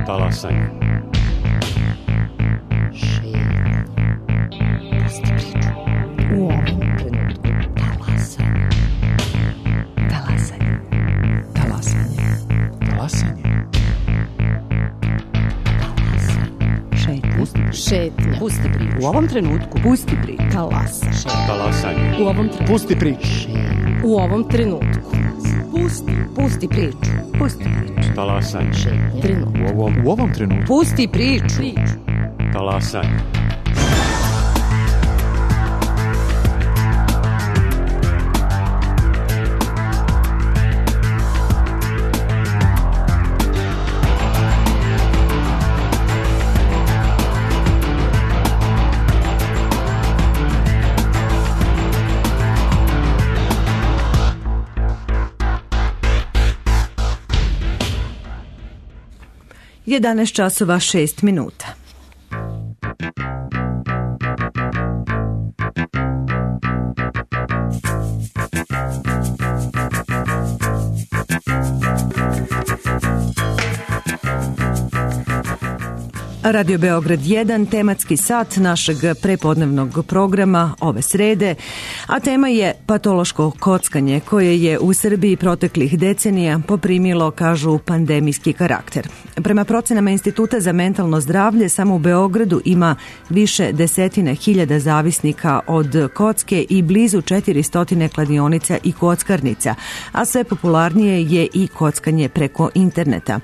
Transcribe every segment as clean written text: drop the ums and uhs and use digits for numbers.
Talasanje. U ovom trenutku talasanje. Talasanje. Talasanje. Talasanje. Šetnja. Pusti priču. U ovom trenutku pusti priču. Talasanje. Talasanje. U ovom trenutku. Pusti priču. U ovom trenutku. Pusti priču. Pusti priču. Talasanje. Trenutak. U ovom trenutku. Pusti priču. Talasanje. Je 11 časova 6 minuta. Radio Beograd 1, tematski sat našeg prepodnevnog programa ove srede, a tema je patološko kockanje koje je u Srbiji proteklih decenija poprimilo, kažu, pandemijski karakter. Prema procenama Instituta za mentalno zdravlje, samo u Beogradu ima više desetine hiljada zavisnika od kocke i blizu 400 kladionica i kockarnica, a sve popularnije je i kockanje preko interneta.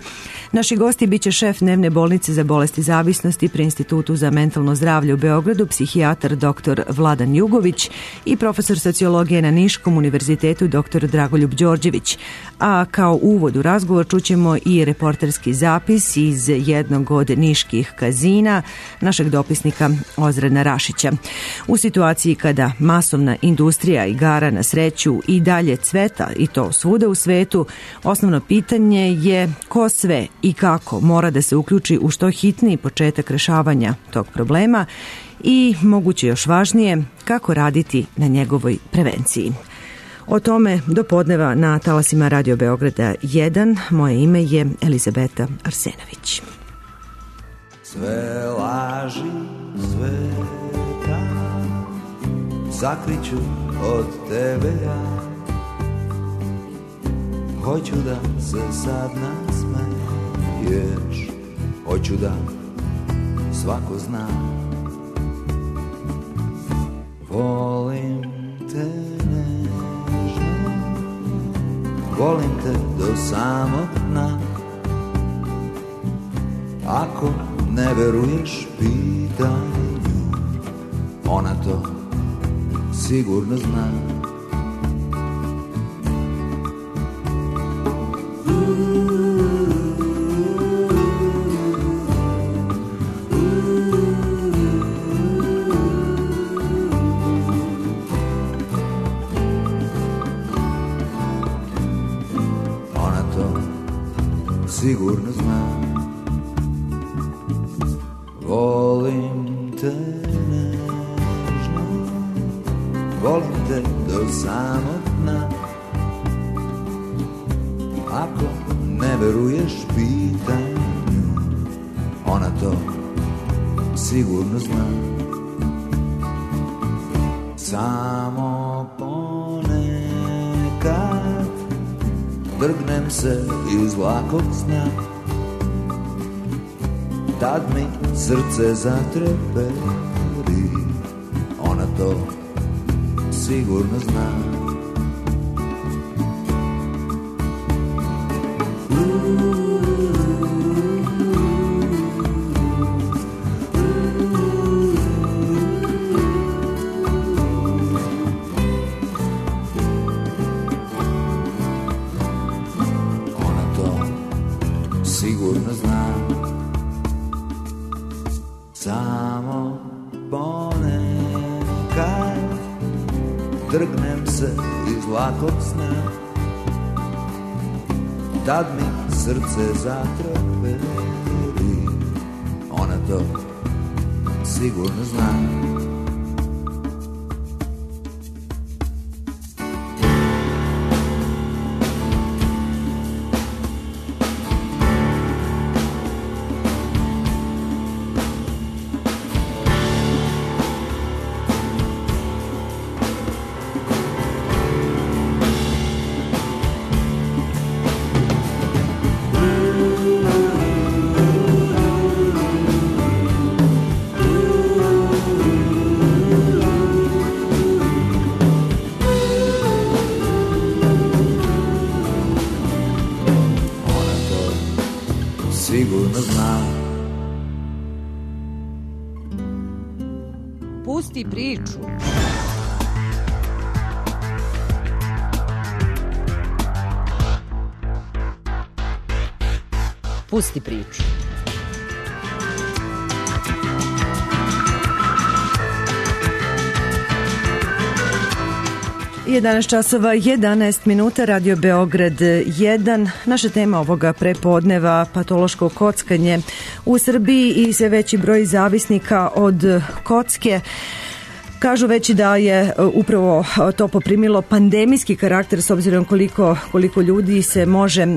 Naši gosti biće šef dnevne bolnice za bolesti zavisnosti pri Institutu za mentalno zdravlje u Beogradu, psihijatar dr. Vladan Jugović i profesor sociologije na Niškom univerzitetu dr. Dragoljub Đorđević. A kao uvod u razgovor čućemo i reporterski zapis iz jednog od niških kazina našeg dopisnika Ozrena Rašića. U situaciji kada masovna industrija igara na sreću i dalje cveta, i to svuda u svetu, osnovno pitanje je ko sve i kako mora da se uključi u što hitniji početak rešavanja tog problema i, moguće još važnije, kako raditi na njegovoj prevenciji. O tome do podneva na talasima Radio Beograda 1. Moje ime je Elizabeta Arsenović. Sve laži sveta sakriću od tebe ja. Hoću da se sad nasmeješ, hoću da svako zna. Volim te nežno, volim te do samog dna. Ako ne veruješ pitanju, ona to sigurno zna. Sigurno znam, volim te nežno, volim te do samog dna. Ako ne veruješ pitanju, ona to sigurno zna. Samo ponekad drgnem se iz lakog sna, tad mi srce zatreperi, ona to sigurno zna. Sigurno znam, samo ponekad trgnem se iz lakog sna, tad mi srce zatreperi, ona to sigurno zna. sigurno zna. Pusti priču. Pusti priču. 11 časova 11 minuta, Radio Beograd 1. Naša tema ovoga prepodneva patološko kockanje u Srbiji i sve veći broj zavisnika od kocke. Kažu već da je upravo to poprimilo pandemijski karakter s obzirom koliko ljudi se može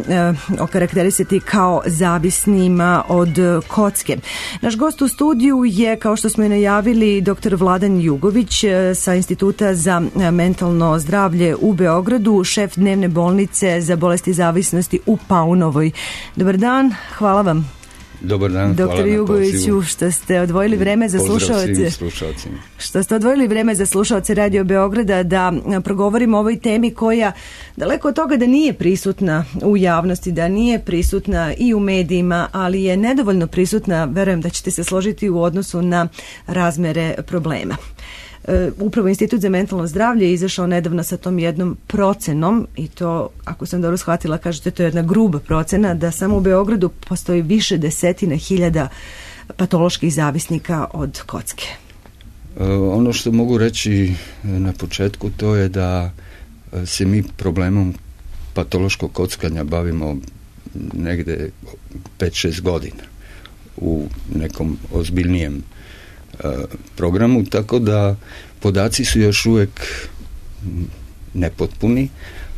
okarakterisati kao zavisnima od kocke. Naš gost u studiju je, kao što smo i najavili, dr. Vladan Jugović sa Instituta za mentalno zdravlje u Beogradu, šef dnevne bolnice za bolesti zavisnosti u Paunovoj. Dobar dan, hvala vam. Dobar dan, hvala Dr. Jugoviću, što ste odvojili vreme za slušaoce. Što ste odvojili vreme za slušaoce Radio Beograda da progovorimo o ovoj temi koja daleko od toga da nije prisutna u javnosti, da nije prisutna i u medijima, ali je nedovoljno prisutna, verujem da ćete se složiti, u odnosu na razmere problema. Upravo Institut za mentalno zdravlje je izašao nedavno sa tom jednom procenom i to, ako sam dobro shvatila, kažete, to je jedna gruba procena, da samo u Beogradu postoji više desetina hiljada patoloških zavisnika od kocke. Ono što mogu reći na početku, to je da se mi problemom patološkog kockanja bavimo negde 5-6 godina u nekom ozbiljnijem programu, tako da podaci su još uvijek nepotpuni,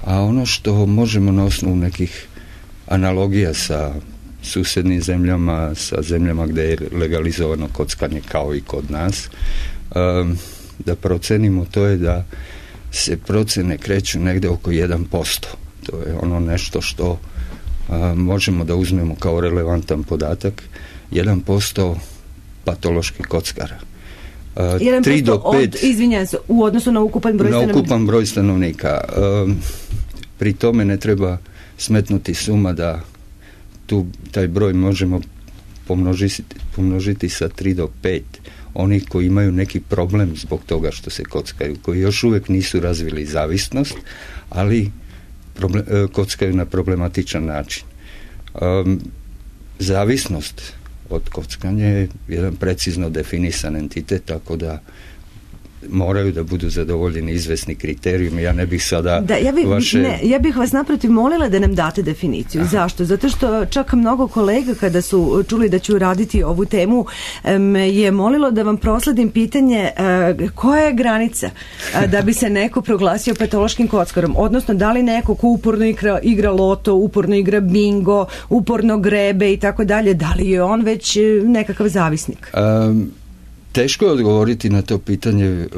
a ono što možemo na osnovu nekih analogija sa susjednim zemljama, sa zemljama gdje je legalizovano kockanje kao i kod nas, da procenimo, to je da se procene kreću negdje oko 1%. To je ono nešto što možemo da uzmemo kao relevantan podatak. 1% patoloških kockara. 3 do 5 izvinjam se, u odnosu na ukupan broj stanovnika. Na ukupan broj stanovnika. Pri tome ne treba smetnuti suma da taj broj možemo pomnožiti sa 3 do 5 onih koji imaju neki problem zbog toga što se kockaju, koji još uvijek nisu razvili zavisnost, ali kockaju na problematičan način. Zavisnost od kockanja je jedan precizno definisan entitet, tako da moraju da budu zadovoljeni izvesni kriterijumi. Ja ne bih sada ja bih vas naprotiv molila da nam date definiciju. Zašto? Zato što čak mnogo kolega, kada su čuli da ću raditi ovu temu, je molilo da vam prosledim pitanje koja je granica da bi se neko proglasio patološkim kockarom, odnosno da li neko ko uporno igra loto, uporno igra bingo, uporno grebe i tako dalje, da li je on već nekakav zavisnik? Teško je odgovoriti na to pitanje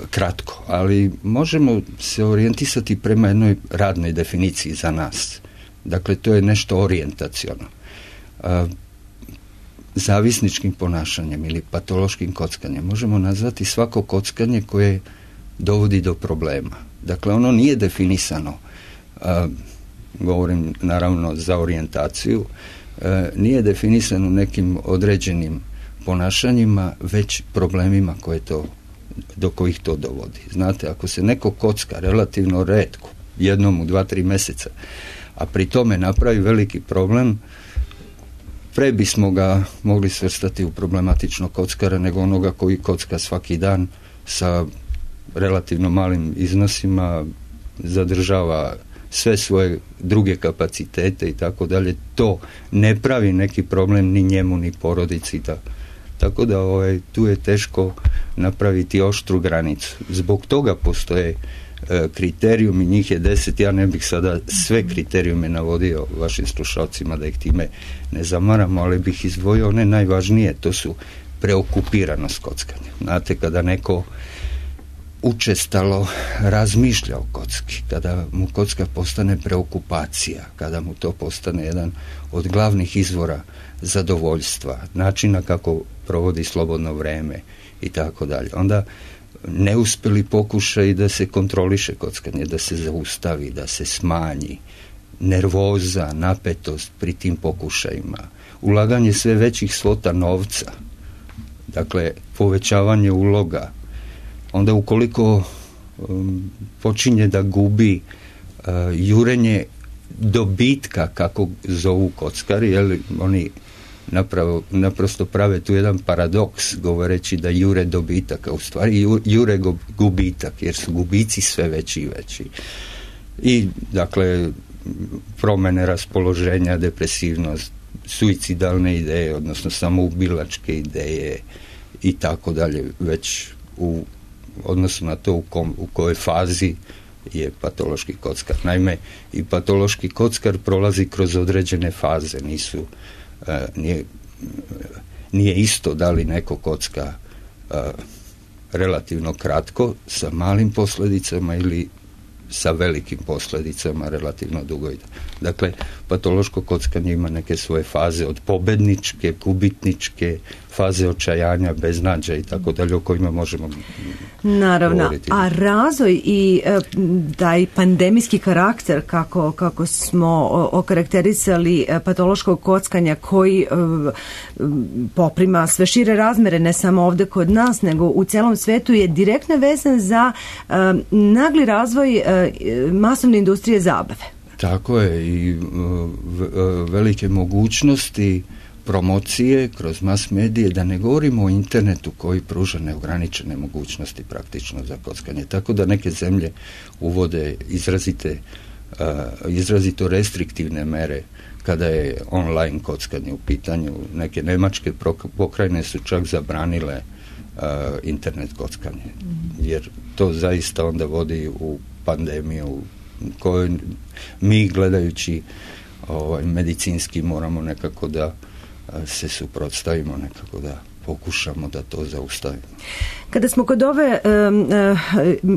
kratko, ali možemo se orijentisati prema jednoj radnoj definiciji za nas. Dakle, to je nešto orijentaciono. Zavisničkim ponašanjem ili patološkim kockanjem možemo nazvati svako kockanje koje dovodi do problema. Dakle, ono nije definisano, govorim naravno za orijentaciju, nije definisano nekim određenim ponašanjima, već problemima do kojih to dovodi. Znate, ako se neko kocka relativno retko, jednom u 2-3 mjeseca, a pri tome napravi veliki problem, pre bismo ga mogli svrstati u problematičnog kockara nego onoga koji kocka svaki dan sa relativno malim iznosima, zadržava sve svoje druge kapacitete i tako dalje. To ne pravi neki problem ni njemu ni porodici. Tako da tu je teško napraviti oštru granicu. Zbog toga postoje kriterijumi, njih je 10, ja ne bih sada sve kriterijume navodio vašim slušalcima da ih time ne zamaramo, ali bih izdvojio one najvažnije, to su preokupiranost kockanja. Znate, kada neko učestalo razmišlja o kocki, kada mu kocka postane preokupacija, kada mu to postane jedan od glavnih izvora zadovoljstva, načina kako provodi slobodno vreme i tako dalje. Onda neuspjeli pokušaj da se kontroliše kockanje, da se zaustavi, da se smanji, nervoza, napetost pri tim pokušajima, ulaganje sve većih svota novca, dakle povećavanje uloga, onda ukoliko počinje da gubi jurenje dobitka, kako zovu kockari, jer oni naprosto prave tu jedan paradoks govoreći da jure dobitak, a u stvari jure gubitak, jer su gubici sve veći i veći. I dakle promjene raspoloženja, depresivnost, suicidalne ideje, odnosno samoubilačke ideje i tako dalje, već u odnosu na to u kojoj fazi je patološki kockar. Naime, i patološki kockar prolazi kroz određene faze, nije isto da li neko kocka relativno kratko sa malim posljedicama ili sa velikim posljedicama relativno dugo. Dakle, patološko kockanje ima neke svoje faze, od pobedničke, gubitničke, faze očajanja, beznađa i tako dalje, o kojima možemo govoriti. A razvoj i taj pandemijski karakter, kako smo okarakterisali patološkog kockanja, koji poprima sve šire razmere, ne samo ovdje kod nas, nego u celom svetu, je direktno vezan za nagli razvoj masovne industrije zabave. Tako je, i velike mogućnosti promocije kroz mas medije, da ne govorimo o internetu koji pruža neograničene mogućnosti praktično za kockanje. Tako da neke zemlje uvode izrazito restriktivne mere kada je online kockanje u pitanju. Neke njemačke pokrajine su čak zabranile internet kockanje, jer to zaista onda vodi u pandemiju koju mi, gledajući medicinski, moramo nekako da se suprotstavimo, nekako da pokušamo da to zaustavimo. Kada smo kod ove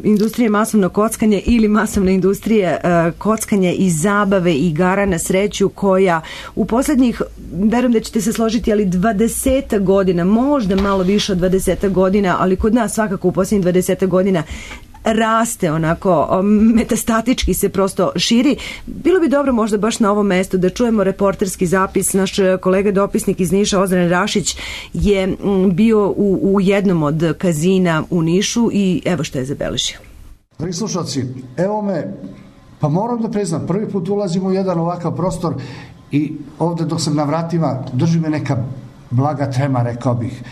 industrije masovno kockanje ili masovne industrije kockanja i zabave i igara na sreću, koja u posljednjih, verujem da ćete se složiti, ali 20 godina, možda malo više od 20 godina, ali kod nas svakako u posljednjih 20 godina raste, onako metastatički se prosto širi. Bilo bi dobro možda baš na ovom mestu da čujemo reporterski zapis. Naš kolega dopisnik iz Niša, Ozren Rašić, je bio u jednom od kazina u Nišu i evo što je zabeležio. Dragi slušalci, evo me, pa moram da priznam, prvi put ulazim u jedan ovakav prostor i ovdje dok sam na vratima drži me neka blaga trema, rekao bih.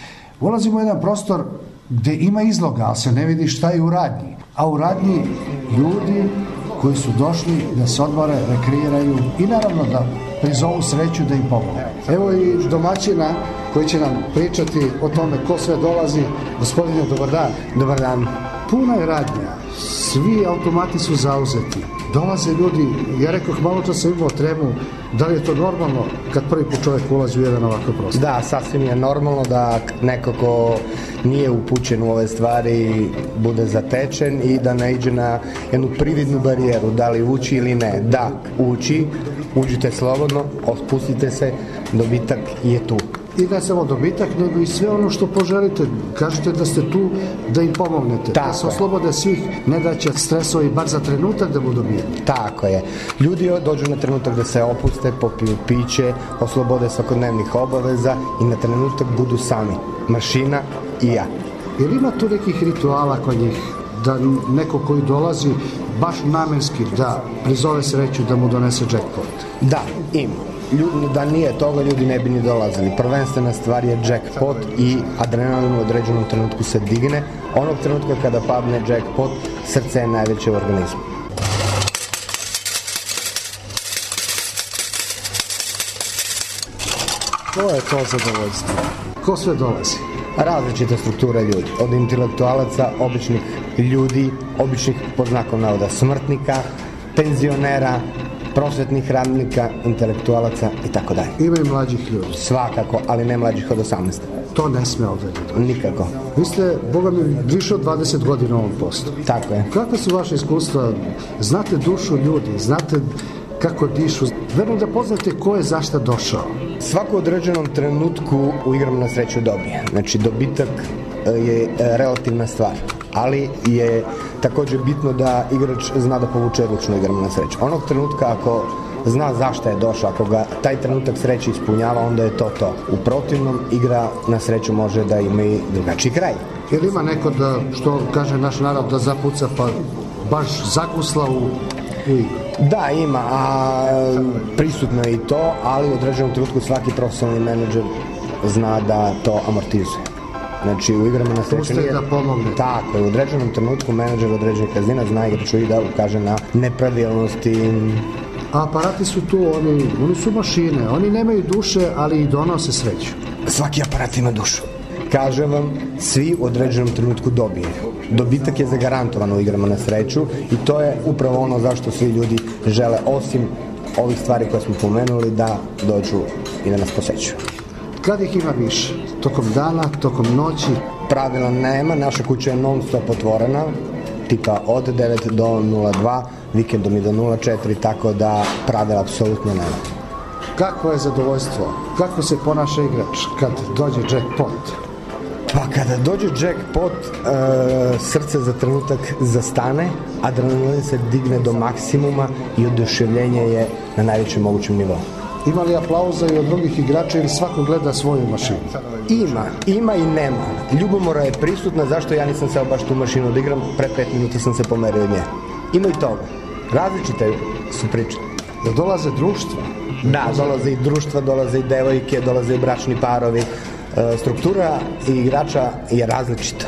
Ulazim u jedan prostor gdje ima izloga, ali se ne vidi šta je u radnji. A u radnji ljudi koji su došli da se odmore, rekreiraju i naravno da prizovu sreću da im pomogne. Evo i domaćina koji će nam pričati o tome ko sve dolazi. Gospodine, dobar dan. Dobar dan. Puna je radnja, svi automati su zauzeti. Dolaze ljudi, ja rekao, malo to sam imao tremu, da li je to normalno kad prvi put čovjek ulazi u jedan ovakav prostor? Da, sasvim je normalno da neko ko nije upućen u ove stvari bude zatečen i da naiđe na jednu prividnu barijeru, da li ući ili ne. Da, uđite slobodno, spustite se, dobitak je tu. I ne samo dobitak, nego i sve ono što poželite. Kažete da ste tu da im pomognete. Tako da se oslobode svih nedaća, stresova i bar za trenutak da budu mirni. Tako je. Ljudi dođu na trenutak da se opuste, popiju piće, oslobode svakodnevnih obaveza i na trenutak budu sami. Mašina i ja. Jel ima tu nekih rituala kod njih? Da neko koji dolazi baš namenski da prizove sreću, da mu donese jackpot? Da, ima. Da nije toga, ljudi ne bi ni dolazili. Prvenstvena stvar je jackpot i adrenalin u određenom trenutku se digne. Onog trenutka kada padne jackpot, srce je najveće u organizmu. To je to zadovoljstvo. Ko sve dolazi? Različite strukture ljudi. Od intelektualaca, običnih ljudi, običnih pod znakom navoda smrtnika, penzionera, prosvetnih radnika, intelektualaca i tako dalje. Ima i mlađih ljudi. Svakako, ali ne mlađih od 18. To ne sme ovdje. Nikako. Vi ste, Boga mi, više od 20 godina u ovom poslu. Tako je. Kakva su vaše iskustva? Znate dušu ljudi, znate kako dišu. Verujem da poznate ko je zašta došao. Svaku određenom trenutku u igrama na sreću dobije. Znači, dobitak je relativna stvar. Ali je također bitno da igrač zna da povuče ručnu igru na sreću. Onog trenutka ako zna zašto je došao. Ako ga taj trenutak sreće ispunjava, onda je to. U protivnom, igra na sreću može da ima i drugačiji kraj. Jer ima neko da, što kaže naš narod, da zapuca pa baš zakusla u igru? Da, ima, a prisutno je i to, ali u određenom trenutku svaki profesionalni menadžer zna da to amortizuje. Znači, u igrama na sreću nije... da pomogne. Tako je, u određenom trenutku menadžer određenog kazina zna igraču i da ukaže na nepravilnosti. A aparati su tu, oni su mašine, oni nemaju duše, ali i donose sreću. Svaki aparat ima dušu. Kažem vam, svi u određenom trenutku dobiju. Dobitak je zagarantovan u igrama na sreću i to je upravo ono zašto svi ljudi žele, osim ovih stvari koje smo pomenuli, da dođu i da nas posećuju. Kad ih ima više? Tokom dana, tokom noći? Pravila nema, naša kuća je non stop otvorena, tipa od 9 do 02, vikendom i do 04, tako da pravila apsolutno nema. Kako je zadovoljstvo? Kako se ponaša igrač kad dođe jackpot? Pa kada dođe jackpot, srce za trenutak zastane, adrenalin se digne do maksimuma i oduševljenje je na najvećem mogućem nivou. Ima li aplauza i od drugih igrača ili svako gleda svoju mašinu? Ima i nema. Ljubomora je prisutna, zašto ja nisam seo baš tu mašinu da igram, pre 5 minuta sam se pomerio od nje. Ima i toga. Različite su priče. Da dolaze društva? Da, dolaze i društva, dolaze i devojke, dolaze i bračni parovi. Struktura igrača je različita.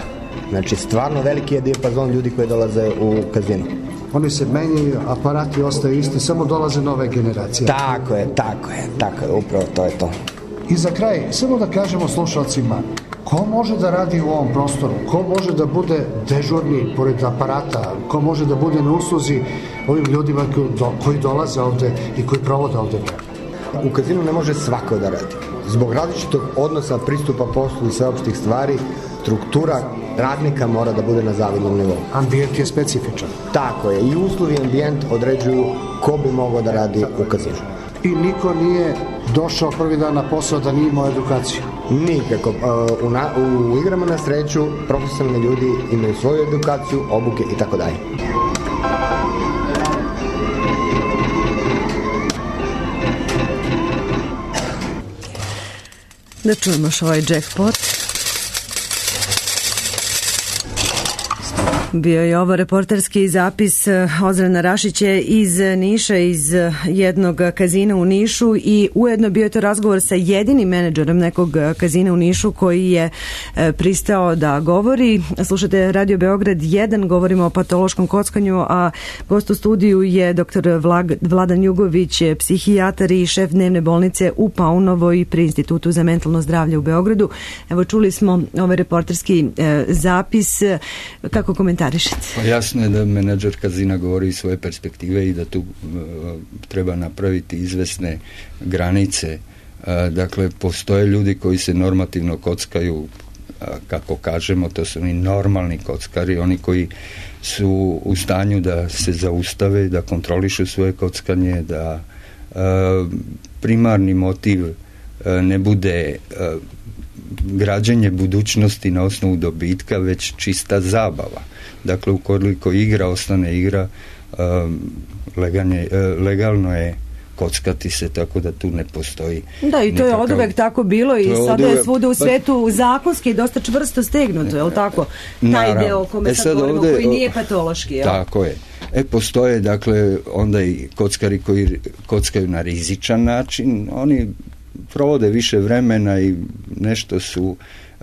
Znači, stvarno veliki je dijapazon ljudi koji dolaze u kazino. Oni se menjaju, aparati ostaju isti, samo dolaze nove generacije. Tako je, upravo to je to. I za kraj, samo da kažemo slušalcima, ko može da radi u ovom prostoru? Ko može da bude dežurni pored aparata? Ko može da bude na usluzi ovim ljudima koji dolaze ovde i koji provode ovde vreme? U kazinu ne može svako da radi. Zbog različitog odnosa, pristupa poslu i sveopštih stvari, struktura radnika mora da bude na zavidnom nivou. Ambijent je specifičan. Tako je. I uslovi ambijent određuju ko bi mogao da radi u kazinu. I niko nije došao prvi dan na posao da nije imao edukaciju? Nikako. U igrama na sreću profesionalni ljudi imaju svoju edukaciju, obuke i tako dalje. Da čujemo još ovaj jackpot. Bio je ovo reporterski zapis Ozrena Rašića iz Niša, iz jednog kazina u Nišu, i ujedno bio je to razgovor sa jedinim menadžerom nekog kazina u Nišu koji je pristao da govori. Slušate Radio Beograd 1, govorimo o patološkom kockanju, a gost u studiju je dr. Vladan Jugović, psihijatar i šef dnevne bolnice u Paunovoj pri Institutu za mentalno zdravlje u Beogradu. Evo, čuli smo ovaj reporterski zapis. Kako komentarišete? Pa jasno je da menadžer kazina govori iz svoje perspektive i da tu treba napraviti izvesne granice. Dakle, postoje ljudi koji se normativno kockaju, kako kažemo, to su oni normalni kockari, oni koji su u stanju da se zaustave, da kontrolišu svoje kockanje, da primarni motiv ne bude građenje budućnosti na osnovu dobitka, već čista zabava. Dakle, ukoliko igra ostane igra, legalno je kockati se, tako da tu ne postoji. Da, i to je oduvek tako bilo i sada je svuda u svetu zakonski dosta čvrsto stegnuto, je li tako? Taj deo o kome sad govorimo, koji nije patološki. Tako je. Postoje, dakle, onda i kockari koji kockaju na rizičan način, oni provode više vremena i nešto su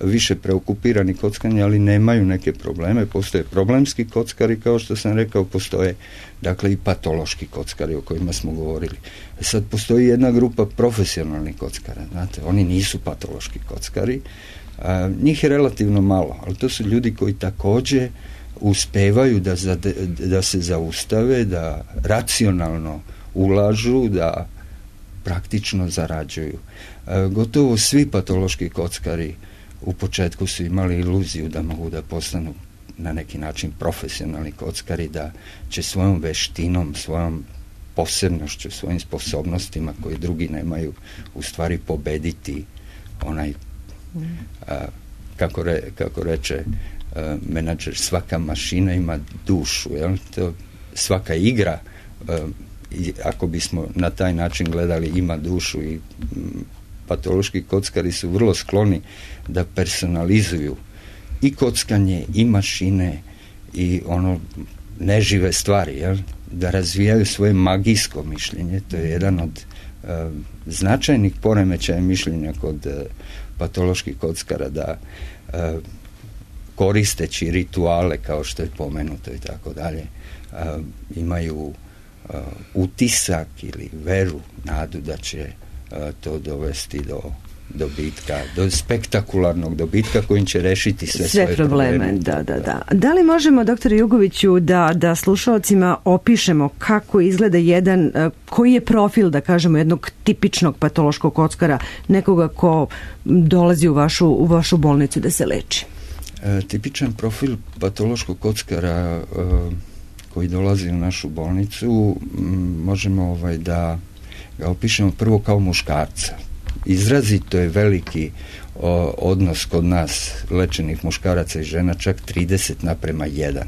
više preokupirani kockanje, ali nemaju neke probleme. Postoje problemski kockari, kao što sam rekao, postoje dakle i patološki kockari o kojima smo govorili. Sad postoji jedna grupa profesionalnih kockara, znate, oni nisu patološki kockari, njih je relativno malo, ali to su ljudi koji također uspevaju da se zaustave, da racionalno ulažu, da praktično zarađuju. Gotovo svi patološki kockari u početku su imali iluziju da mogu da postanu na neki način profesionalni kockari, da će svojom veštinom, svojom posebnošću, svojim sposobnostima koje drugi nemaju, u stvari pobediti onaj, kako reče menadžer, svaka mašina ima dušu, jel? Svaka igra i ako bismo na taj način gledali, ima dušu i patološki kockari su vrlo skloni da personalizuju i kockanje i mašine i ono nežive stvari, jel? Da razvijaju svoje magijsko mišljenje. To je jedan od značajnih poremećaja mišljenja kod patoloških kockara, da koristeći rituale kao što je pomenuto i tako dalje, imaju utisak ili veru, nadu da će to dovesti do dobitka, do spektakularnog dobitka kojim će rešiti sve svoje probleme. Da li možemo, doktore Jugoviću, da slušalcima opišemo kako izgleda jedan, koji je profil, da kažemo, jednog tipičnog patološkog kockara, nekoga ko dolazi u vašu bolnicu da se leči? Tipičan profil patološkog kockara koji dolazi u našu bolnicu, možemo da ga opišemo prvo kao muškarca. Izrazito je veliki odnos kod nas lečenih muškaraca i žena, čak 30:1.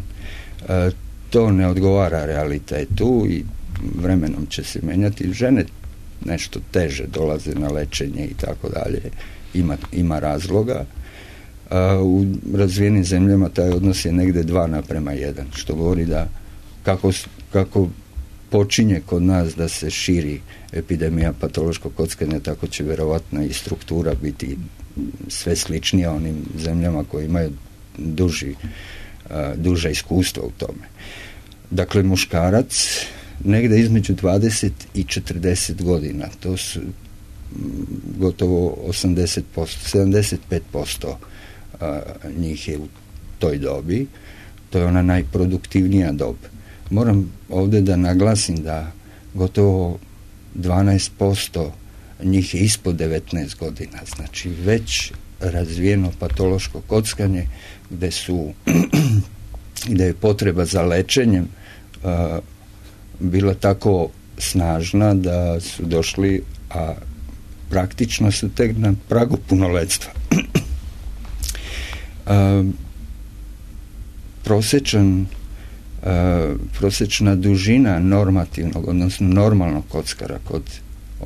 To ne odgovara realitetu i vremenom će se menjati. Žene nešto teže dolaze na lečenje i tako dalje. Ima razloga. U razvijenim zemljama taj odnos je negde 2:1, što govori da kako počinje kod nas da se širi epidemija patološkog kockanja, tako će verovatno i struktura biti sve sličnija onim zemljama koje imaju duže iskustvo u tome. Dakle, muškarac negde između 20 i 40 godina, to su gotovo 80%, 75% njih je u toj dobi, to je ona najproduktivnija dob. Moram ovdje da naglasim da gotovo 12% njih je ispod 19 godina, znači već razvijeno patološko kockanje gde je potreba za lečenjem bila tako snažna da su došli, a praktično su tek na pragu punoletstva. Prosječna dužina normativnog, odnosno normalnog kockara kod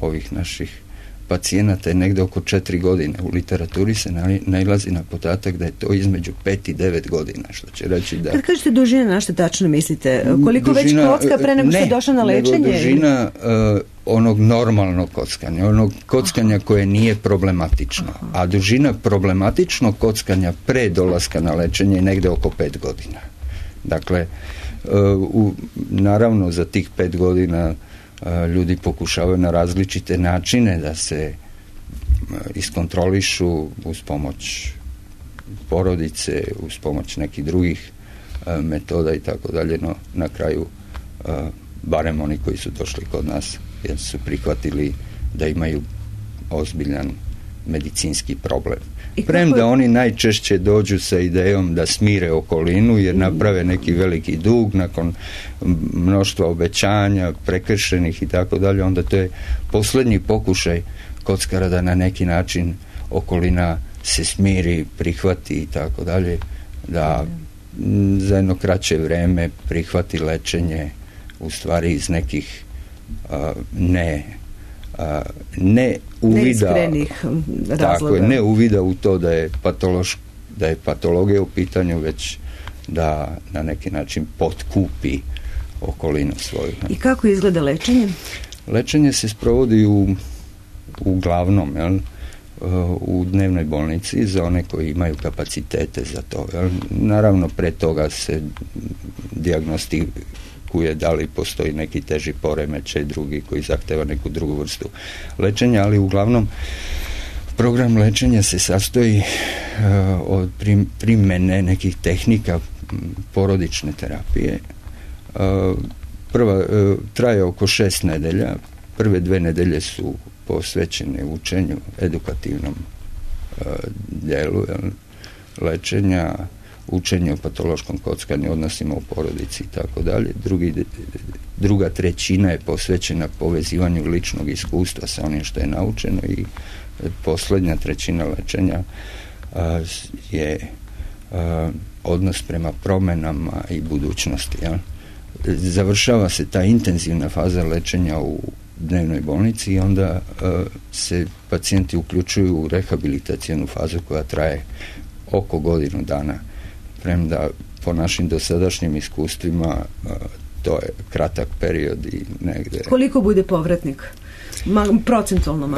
ovih naših pacijenata je negde oko 4 godine. U literaturi se nailazi na podatak da je to između 5 i 9 godina, što će reći da... Kad kažete dužina, na što tačno mislite? Koliko dužina, već kocka pre nego što je došla na lečenje? Nego dužina onog normalnog kockanja, onog kockanja koje nije problematično. A dužina problematičnog kockanja pre dolaska na lečenje je negde oko 5 godina. Dakle, naravno za tih 5 godina ljudi pokušavaju na različite načine da se iskontrolišu uz pomoć porodice, uz pomoć nekih drugih metoda i tako dalje, no na kraju barem oni koji su došli kod nas jer su prihvatili da imaju ozbiljan medicinski problem. Premda oni najčešće dođu sa idejom da smire okolinu jer naprave neki veliki dug nakon mnoštva obećanja, prekršenih i tako dalje, onda to je posljednji pokušaj kockara da na neki način okolina se smiri, prihvati i tako dalje, da za jedno kraće vreme prihvati lečenje u stvari iz nekih ne uvida, tako je, ne uvida u to da je patologija u pitanju, već da na neki način potkupi okolinu svoju. I kako izgleda lečenje? Lečenje se sprovodi uglavnom u dnevnoj bolnici za one koji imaju kapacitete za to. Naravno, pre toga se dijagnostikuje da li postoji neki teži poremećaj, drugi koji zahteva neku drugu vrstu lečenja, ali uglavnom program lečenja se sastoji od primene nekih tehnika porodične terapije. Prva traje oko 6 nedelja. Prve 2 nedelje su posvećene učenju, edukativnom dijelu lečenja, učenje o patološkom kockanju, odnosima u porodici i tako dalje. Druga trećina je posvećena povezivanju ličnog iskustva sa onim što je naučeno i posljednja trećina lečenja je odnos prema promjenama i budućnosti. završava se ta intenzivna faza lečenja u dnevnoj bolnici i onda se pacijenti uključuju u rehabilitacijnu fazu koja traje oko godinu dana. Premda po našim dosadašnjim iskustvima to je kratak period i negde... Koliko bude povratnik? Procentualno?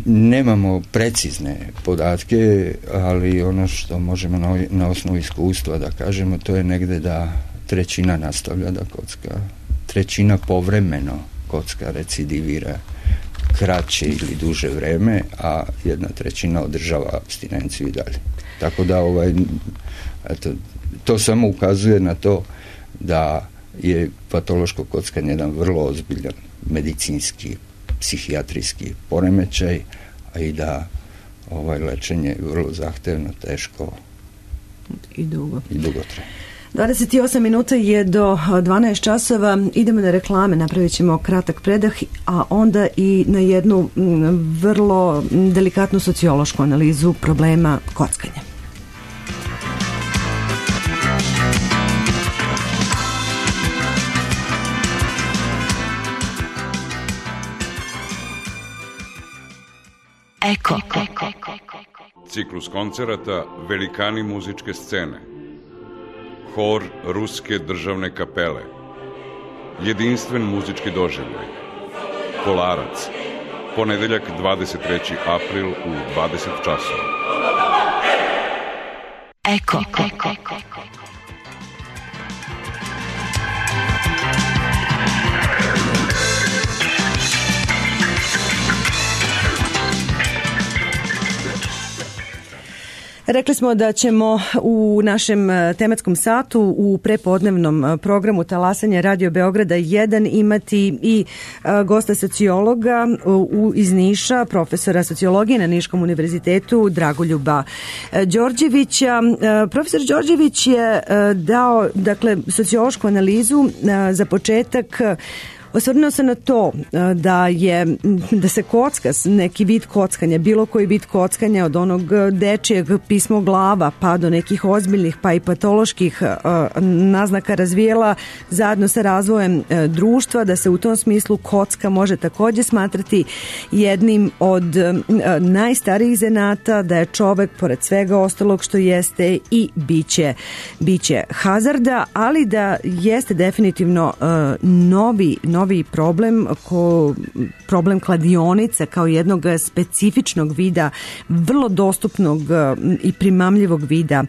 Nemamo precizne podatke, ali ono što možemo na osnovu iskustva da kažemo, to je negde da 1/3 nastavlja da kocka, 1/3 povremeno kocka recidivira kraće ili duže vreme, a 1/3 održava apstinenciju i dalje. Tako da to samo ukazuje na to da je patološko kockanje jedan vrlo ozbiljan medicinski, psihijatrijski poremećaj, a i da lečenje je vrlo zahtevno, teško i dugotrajno. 28 minuta je do 12 časova. Idemo na reklame, napravit ćemo kratak predah, a onda i na jednu vrlo delikatnu sociološku analizu problema kockanja. Eko. Ciklus koncerata Velikani muzičke scene. Hor Ruske državne kapele. Jedinstven muzički doživljaj. Kolarac. Ponedeljak 23. april u 20 časova. Eko. Rekli smo da ćemo u našem tematskom satu u prepodnevnom programu Talasanja Radio Beograda 1 imati i gosta sociologa iz Niša, profesora sociologije na Niškom univerzitetu Dragoljuba Đorđevića. Profesor Đorđević je dao, sociološku analizu za početak. Osvrnuo se na to da se kocka, neki vid kockanja, bilo koji vid kockanja od onog dečijeg pismoglava pa do nekih ozbiljnih pa i patoloških naznaka razvijela zajedno sa razvojem društva, da se u tom smislu kocka može također smatrati jednim od najstarijih zanata, da je čovek pored svega ostalog što jeste i biće hazarda, ali da jeste definitivno novi problem kladionica kao jednog specifičnog vida, vrlo dostupnog i primamljivog vida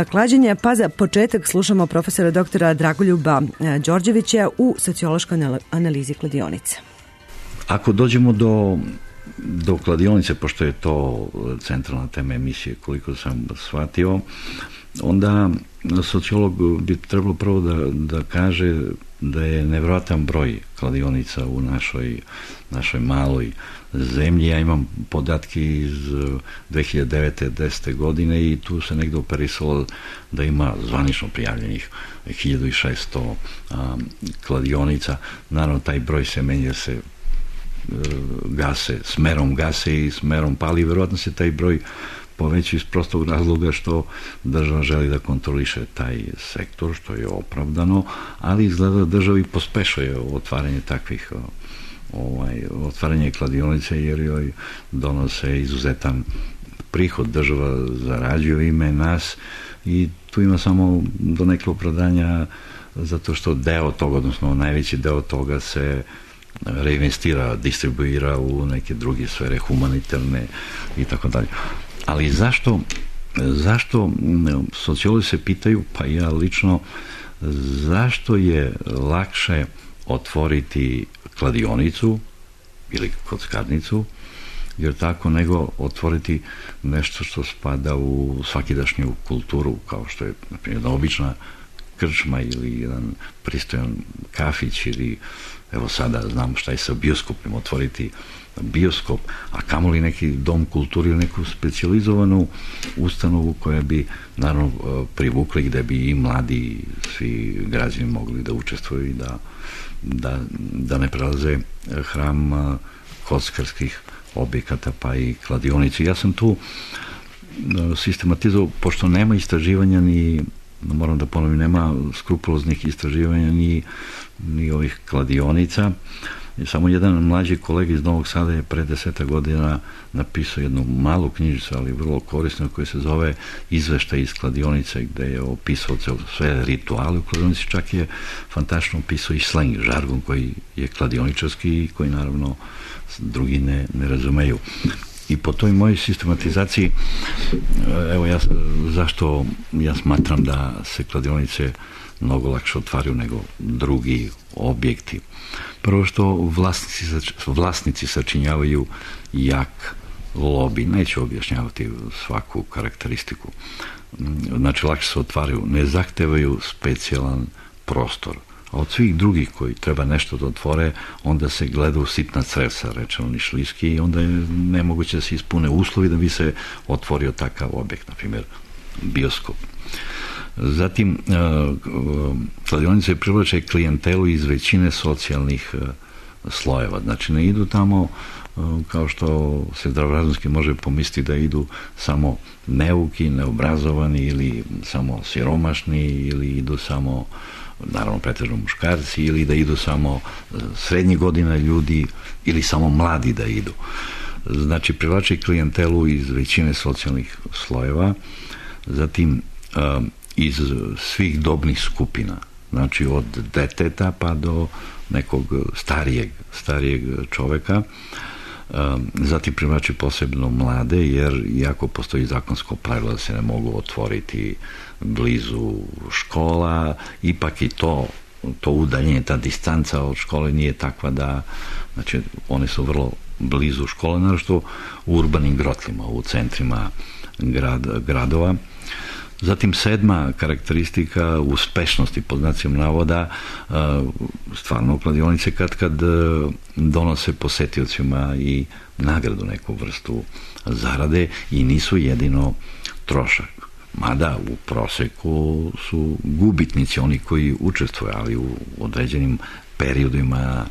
klađenja. Pa za početak slušamo profesora doktora Dragoljuba Đorđevića u sociološkoj analizi kladionica. Ako dođemo do kladionice, pošto je to centralna tema emisije, koliko sam shvatio, onda sociolog bi trebalo prvo da kaže da je nevjerojatan broj kladionica u našoj maloj zemlji. Ja imam podatke iz 2009-10. godine i tu se negdje operisalo da ima zvanično prijavljenih 1600 kladionica. Naravno, taj broj se menja, se smerom gase i smerom pali. Vjerojatno se taj broj poveći iz prostog razloga što država želi da kontroliše taj sektor, što je opravdano, ali izgleda da državi pospešuje otvaranje takvih otvaranje kladionice, jer joj donose izuzetan prihod, država zarađuje ime nas i tu ima samo do nekog opravdanja zato što deo toga, odnosno najveći deo toga se reinvestira, distribuira u neke druge sfere, humanitarne i tako dalje. Ali zašto sociolozi se pitaju, pa ja lično, zašto je lakše otvoriti kladionicu ili kockarnicu, jer tako, nego otvoriti nešto što spada u svakidašnju kulturu, kao što je, na primjer, jedna obična krčma ili jedan pristojan kafić, ili evo sada znamo šta je sa bioskopom, otvoriti bioskop, a kamoli neki dom kulturi ili neku specijalizovanu ustanovu koja bi naravno privukli, gde bi i mladi, svi građani mogli da učestvuju i da ne prelaze hram kockarskih objekata pa i kladionici. Ja sam tu sistematizovao, pošto nema istraživanja moram da ponovim, nema skrupuloznih istraživanja ni ovih kladionica. Samo jedan mlađi kolega iz Novog Sada je pre 10 godina napisao jednu malu knjižicu, ali vrlo korisnu, koja se zove Izveštaj iz kladionice, gde je opisao sve rituale u kladionici, čak je fantastično opisao i sleng, žargon koji je kladioničarski i koji naravno drugi ne razumeju. I po toj mojoj sistematizaciji, evo zašto ja smatram da se kladionice mnogo lakše otvaraju nego drugi objekti. Prvo što vlasnici sačinjavaju jak lobi, neću objašnjavati svaku karakteristiku. Znači, lakše se otvaraju, ne zahtevaju specijalan prostor. A od svih drugih koji treba nešto da otvore, onda se gleda u sitna crevca, rečeno nišlijski, i onda je nemoguće da se ispune uslovi da bi se otvorio takav objekt, na primjer bioskop. Zatim, kladionice privlače klijentelu iz većine socijalnih slojeva. Znači, ne idu tamo kao što se zdravorazumski može pomisliti da idu samo neuki, neobrazovani ili samo siromašni ili idu samo, naravno pretežno muškarci, ili da idu samo srednjih godina ljudi ili samo mladi da idu. Znači, privlači klijentelu iz većine socijalnih slojeva, zatim iz svih dobnih skupina, znači od deteta pa do nekog starijeg čoveka. Zatim privlači posebno mlade, jer iako postoji zakonsko pravilo da se ne mogu otvoriti blizu škola, ipak i to udaljenje, ta distanca od škole nije takva da, znači one su vrlo blizu škole, naravno u urbanim grotlima, u centrima gradova. Zatim 7. karakteristika uspešnosti, pod znacima navoda, stvarno kladionice kad donose posetiocima i nagradu, neku vrstu zarade, i nisu jedino trošak. Mada u proseku su gubitnici oni koji učestvuju, ali u određenim periodima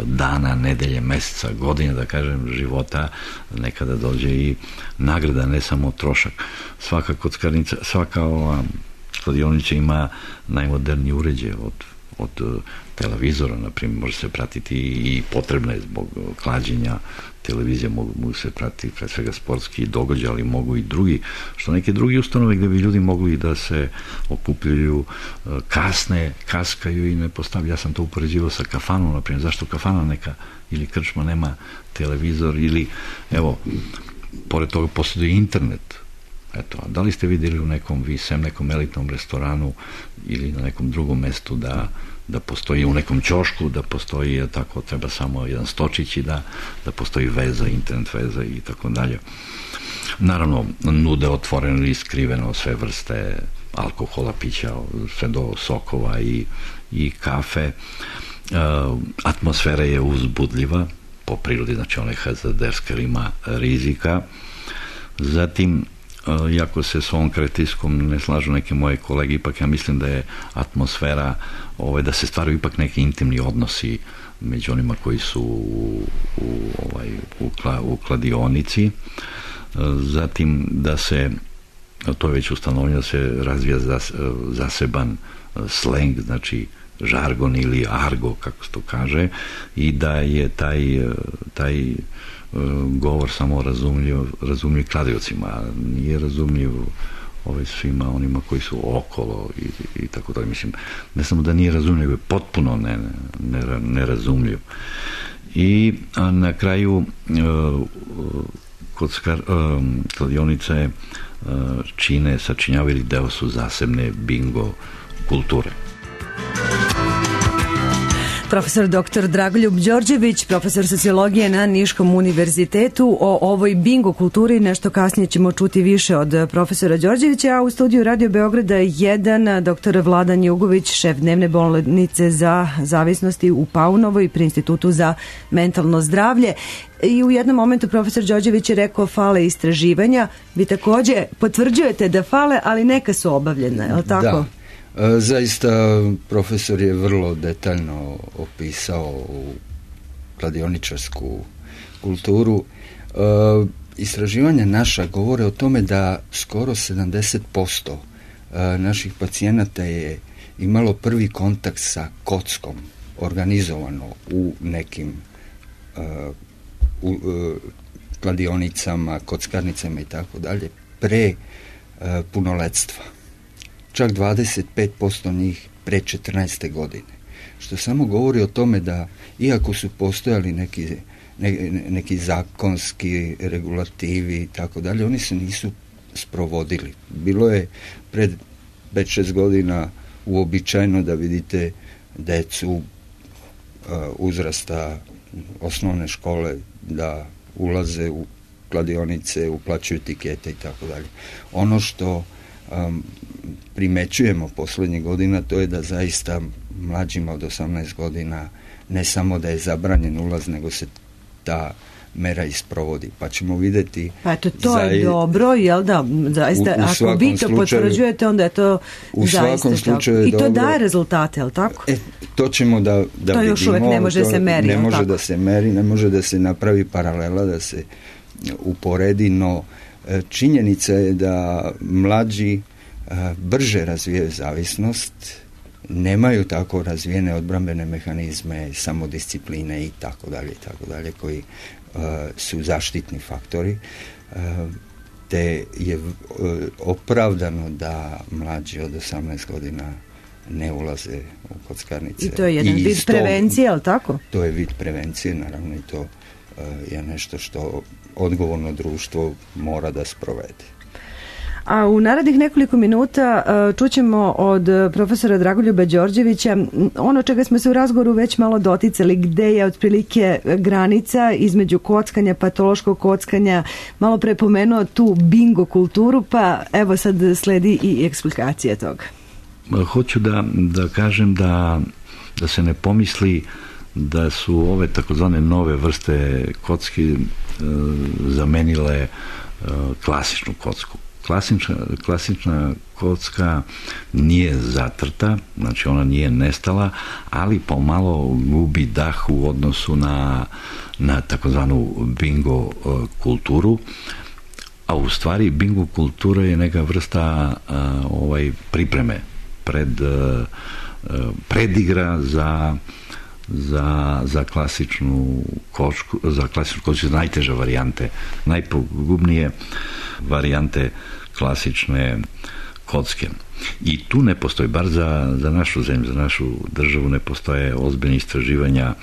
dana, nedelje, meseca, godine, da kažem, života, nekada dođe i nagrada, ne samo trošak. Svaka kockarnica, svaka ova kladionica ima najmoderniji uređaj od televizora, na primjer, može se pratiti i potrebno je zbog klađenja televizije, mogu se pratiti pre svega sportski događaj, ali mogu i drugi, što neke drugi ustanove gde bi ljudi mogli da se okupljaju, kaskaju i ne postavljaju. Ja sam to upoređivao sa kafanom, na primjer, zašto kafana neka ili krčma nema televizor, ili evo, pored toga posjeduje internet. Eto, a da li ste vidjeli u nekom elitnom restoranu ili na nekom drugom mestu da postoji u nekom ćošku, da postoji, tako, treba samo jedan stočić i da postoji veza, internet veza i tako dalje. Naravno, nude otvoreno ili skriveno sve vrste alkohola, pića, sve do sokova i kafe. Atmosfera je uzbudljiva po prirodi, znači ona je hazarderska, ima rizika. Zatim, iako se s ovom karakteristikom ne slažu neke moje kolege, ipak ja mislim da je atmosfera, da se stvaraju ipak neki intimni odnosi među onima koji su u kladionici. Zatim da se, to je već ustanovljeno, da se razvija zaseban sleng, znači žargon ili argo, kako se to kaže, i da je taj govor samo razumljiv kladiocima, nije razumljiv svima onima koji su okolo i tako dalje. Mislim, ne samo da nije razumljiv, je potpuno nerazumljiv. I na kraju kladionice sačinjavaju deo su zasebne bingo kulture. Profesor dr. Dragoljub Đorđević, profesor sociologije na Niškom univerzitetu. O ovoj bingo kulturi nešto kasnije ćemo čuti više od profesora Đorđevića, a u studiju Radio Beograda 1 dr. Vladan Jugović, šef dnevne bolnice za zavisnosti u Paunovoj pri Institutu za mentalno zdravlje. I u jednom momentu profesor Đorđević je rekao fale istraživanja. Vi takođe potvrđujete da fale, ali neka su obavljena, je li tako? Da. Zaista profesor je vrlo detaljno opisao kladioničarsku kulturu. Istraživanja naša govore o tome da skoro 70% naših pacijenata je imalo prvi kontakt sa kockom organizovano u nekim kladionicama, kockarnicama i tako dalje pre punoletstva. Čak 25% njih pre 14. godine. Što samo govori o tome da, iako su postojali neki zakonski regulativi i tako dalje, oni se nisu sprovodili. Bilo je pred 5-6 godina uobičajeno da vidite decu uzrasta osnovne škole da ulaze u kladionice, uplaćuju tikete i tako dalje. Ono što primećujemo poslednjih godina, to je da zaista mlađima od 18 godina ne samo da je zabranjen ulaz, nego se ta mera isprovodi. Pa ćemo vidjeti... Pa to je dobro, jel da? Zaista, ako vi to potvrđujete, onda je to zaista tako. I to daje rezultate, jel tako? To ćemo da vidimo. To još uvek ne može se meri, ne može da se meri, ne može da se napravi paralela, da se uporedi, no činjenica je da mlađi brže razvijaju zavisnost, nemaju tako razvijene odbrambene mehanizme, samodiscipline i tako dalje, koji su zaštitni faktori, te je opravdano da mlađi od 18 godina ne ulaze u kockarnice. I to je jedan vid prevencije, ali tako? To je vid prevencije, naravno, i to je nešto što odgovorno društvo mora da sprovede. A u narednih nekoliko minuta čućemo od profesora Dragoljuba Đorđevića ono čega smo se u razgovoru već malo doticali, gde je otprilike granica između kockanja, patološkog kockanja, malo pre pomenuo tu bingo kulturu, pa evo sad sledi i eksplikacija toga. Hoću da kažem da se ne pomisli da su ove takozvane nove vrste kocki zamenile klasičnu kocku. Klasična kocka nije zatrta, znači ona nije nestala, ali pomalo gubi dah u odnosu na takozvanu bingo kulturu, a u stvari bingo kultura je neka vrsta pripreme, predigra za klasičnu kocku, najteže varijante, najpogubnije varijante klasične kocke. I tu ne postoji, bar za našu zemlju, za našu državu, ne postoje ozbiljne istraživanja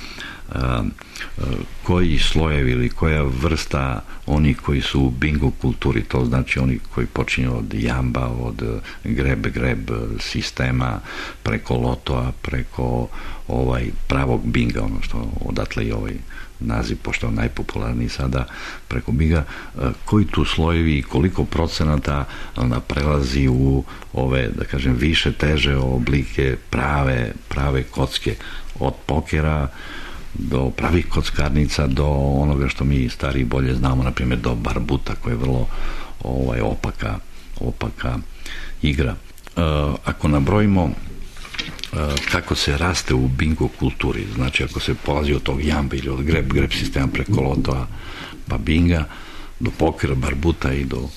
koji slojevi ili koja vrsta oni koji su u bingo kulturi, to znači oni koji počinju od jamba, od greb sistema, preko lotoa, preko pravog binga, ono što odatle i ovaj naziv, pošto je najpopularniji sada, preko binga, koji tu slojevi i koliko procenata onda prelazi u ove, da kažem, više teže oblike prave kocke, od pokera do pravih kockarnica, do onoga što mi stariji bolje znamo, na primjer do barbuta, koja je vrlo opaka igra. Ako nabrojimo kako se raste u bingo kulturi, znači ako se polazi od tog jamba ili od greb sistema preko lotoa pa binga do pokera, barbuta i do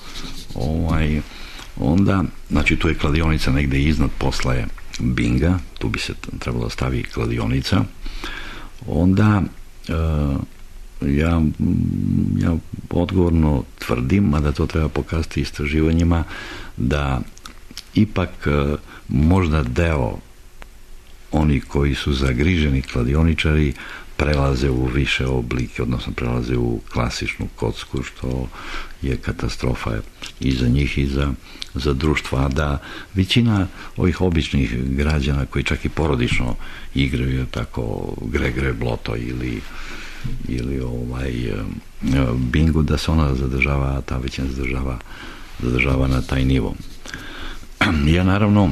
onda, znači tu je kladionica negde iznad, posla je binga, tu bi se trebalo stavi kladionica. Onda ja odgovorno tvrdim, mada to treba pokazati istraživanjima, da ipak možda deo oni koji su zagriženi kladioničari prelaze u više oblike, odnosno prelaze u klasičnu kocku, što je katastrofa i za njih i za društvo, a da većina ovih običnih građana koji čak i porodično igraju tako greb loto ili bingo, da se ona zadržava, ta većina zadržava na taj nivo. Ja naravno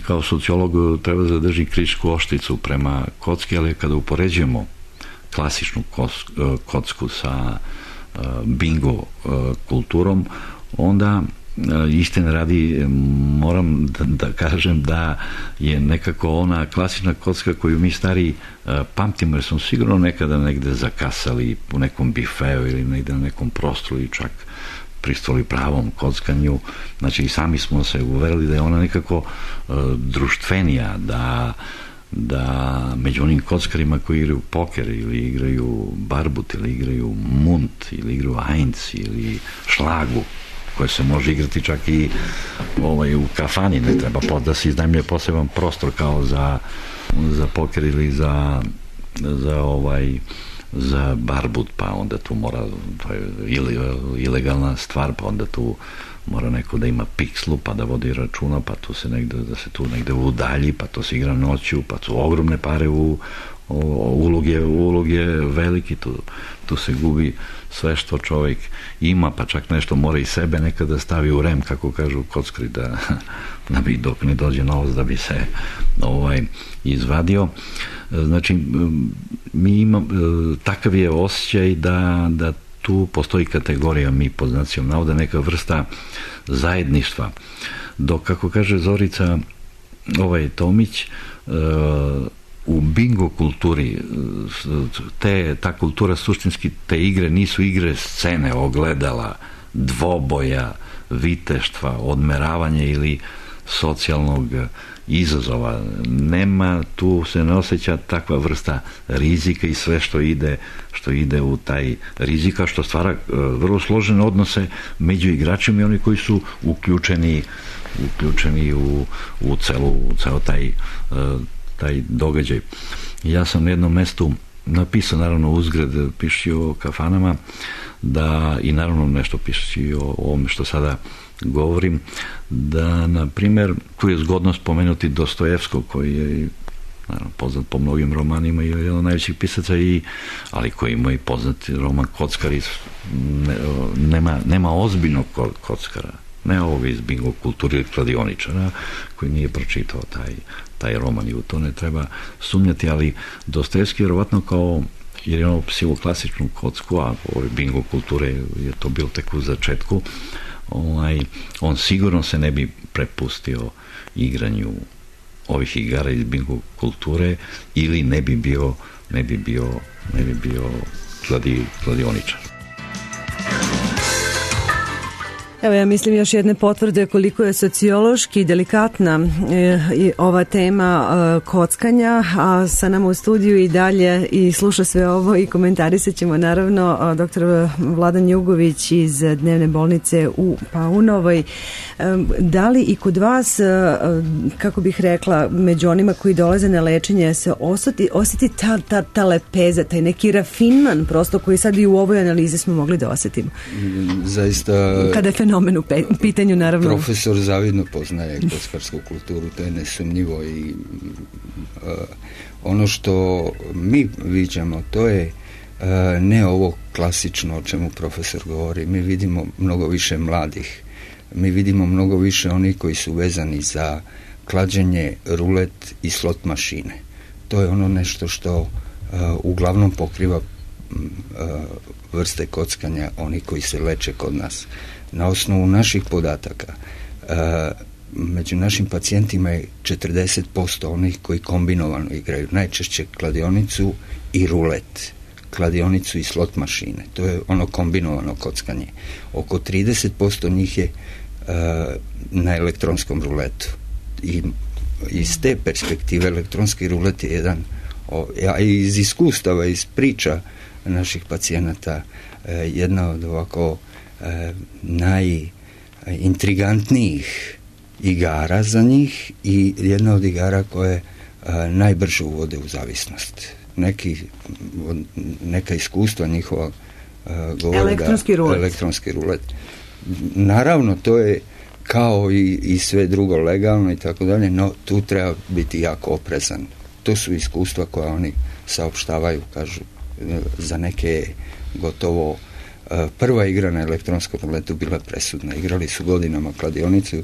kao sociolog treba zadržiti kritičku oštricu prema kocki, ali kada upoređujemo klasičnu kocku sa bingo kulturom, onda istine radi moram da kažem da je nekako ona klasična kocka koju mi stari pamtimo, jer smo sigurno nekada negde zakasali u nekom bifeu ili negde na nekom prostoru i čak pristupili pravom kockanju, znači i sami smo se uverili da je ona nekako društvenija, da među onim kockarima koji igraju poker ili igraju barbut ili igraju munt ili igraju heinz ili šlagu, koje se može igrati čak i u kafani, ne treba da se iznajmljuje poseban prostor kao za poker ili za barbut, pa onda tu mora, to je ilegalna stvar, pa onda tu mora neko da ima pikslu, pa da vodi računa, pa tu se negde udalji, pa to se igra noću, pa su ogromne pare ulog je veliki, tu se gubi sve što čovjek ima, pa čak nešto mora i sebe nekada stavi u rem, kako kažu kockari, da bi dok ne dođe novac da bi se izvadio. Znači, mi imamo, takav je osjećaj da tu postoji kategorija, mi pod znacijom navoda, neka vrsta zajedništva. Dok, kako kaže Zorica Tomić, u bingo kulturi ta kultura suštinski, te igre nisu igre scene, ogledala, dvoboja, viteštva, odmeravanja ili socijalnog izazova. Nema, tu se ne osjeća takva vrsta rizika i sve što ide u taj rizika, što stvara vrlo složene odnose među igračima i oni koji su uključeni u ceo taj događaj. Ja sam na jednom mestu napisao, naravno uzgred, piši o kafanama, i naravno nešto piši o ovome što sada govorim, da, na primjer, tu je zgodno spomenuti Dostojevskog, koji je naravno poznat po mnogim romanima i jedan od najvećih pisaca, ali koji ima i poznati roman Kockari. Nema ozbiljnog kockara, ne ovoga iz bingo kulture ili kladioničara koji nije pročitao taj roman, i u to ne treba sumnjati, ali Dostojevski je vjerovatno kao, jer je ono psivo klasičnu kocku, a ove bingo kulture je to bilo tek u začetku, on sigurno se ne bi prepustio igranju ovih igara iz bingo kulture, ili ne bi bio kladioničar. Evo, ja mislim još jedne potvrde koliko je sociološki delikatna ova tema kockanja, a sa nama u studiju i dalje i sluša sve ovo i komentarisat ćemo naravno dr. Vladan Jugović iz dnevne bolnice u Paunovoj. Da li i kod vas, kako bih rekla, među onima koji dolaze na lečenje se osjeti ta lepeza, taj neki rafinman prosto koji sad i u ovoj analizi smo mogli da osjetimo? Zaista... Kada je fenomen u pitanju, naravno. Profesor zavidno poznaje kockarsku kulturu, to je nesumnjivo, i ono što mi viđamo, to je ne ovo klasično o čemu profesor govori. Mi vidimo mnogo više mladih, mi vidimo mnogo više onih koji su vezani za klađenje, rulet i slot mašine. To je ono nešto što uglavnom pokriva vrste kockanja, oni koji se leče kod nas. Na osnovu naših podataka, među našim pacijentima je 40% onih koji kombinovano igraju, najčešće kladionicu i rulet, kladionicu i slot mašine. To je ono kombinovano kockanje. Oko 30% njih je na elektronskom ruletu. I iz te perspektive elektronski rulet je jedan, a iz iskustava, iz priča naših pacijenata, jedna od ovako najintrigantnijih igara za njih i jedna od igara koje najbrže uvode u zavisnost. Neka iskustva njihova govore elektronski rulet. Naravno, to je kao i sve drugo legalno i tako dalje, no tu treba biti jako oprezan. To su iskustva koja oni saopštavaju, kažu, za neke gotovo prva igra na elektronskom ruletu bila presudna. Igrali su godinama kladionicu,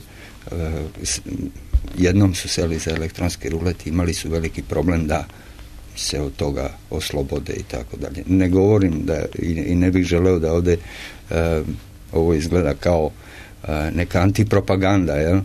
jednom su seli za elektronski rulet i imali su veliki problem da se od toga oslobode i tako dalje. Ne govorim i ne bih želeo da ovdje ovo izgleda kao neka antipropaganda, jel?